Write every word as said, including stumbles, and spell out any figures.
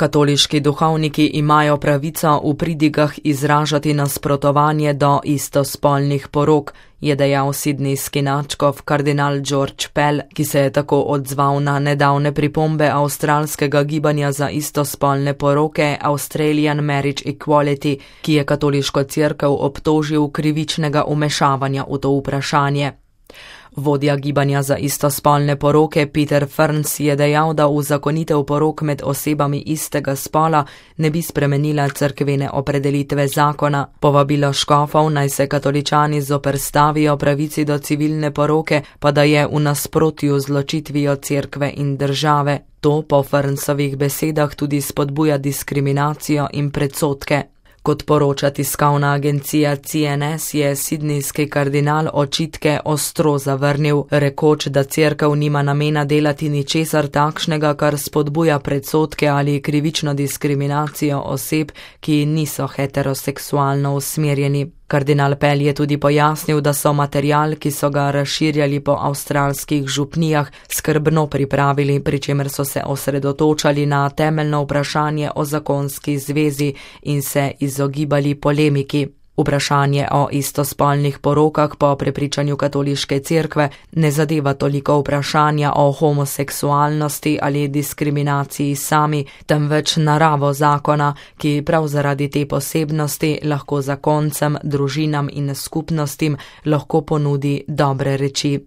Katoliški duhovniki imajo pravico v pridigah izražati nasprotovanje do istospolnih porok, je dejal sidnejski nadškof kardinal George Pell, ki se je tako odzval na nedavne pripombe avstralskega gibanja za istospolne poroke Australian Marriage Equality, ki je katoliško cerkev obtožil krivičnega vmešavanja v to vprašanje. Vodja gibanja za istospolne poroke Peter Ferns je dejal, da uzakonitev porok med osebami istega spola ne bi spremenila cerkvene opredelitve zakona. Povabilo škofov, naj se katoličani zoperstavijo pravici do civilne poroke, pa da je v nasprotju z ločitvijo cerkve in države. To po Fernsovih besedah tudi spodbuja diskriminacijo in predsodke. Kot poroča tiskovna agencija C N S, je sidnejski kardinal očitke ostro zavrnil, rekoč, da cerkev nima namena delati ničesar takšnega, kar spodbuja predsodke ali krivično diskriminacijo oseb, ki niso heteroseksualno usmerjeni. Kardinal Pell je tudi pojasnil, da so material, ki so ga razširjali po avstralskih župnijah, skrbno pripravili, pri čemer so se osredotočali na temeljno vprašanje o zakonski zvezi in se izogibali polemiki. Vprašanje o istospolnih porokah po prepričanju katoliške cerkve ne zadeva toliko vprašanja o homoseksualnosti ali diskriminaciji sami, temveč naravo zakona, ki prav zaradi te posebnosti lahko zakoncem, družinam in skupnostim lahko ponudi dobre reči.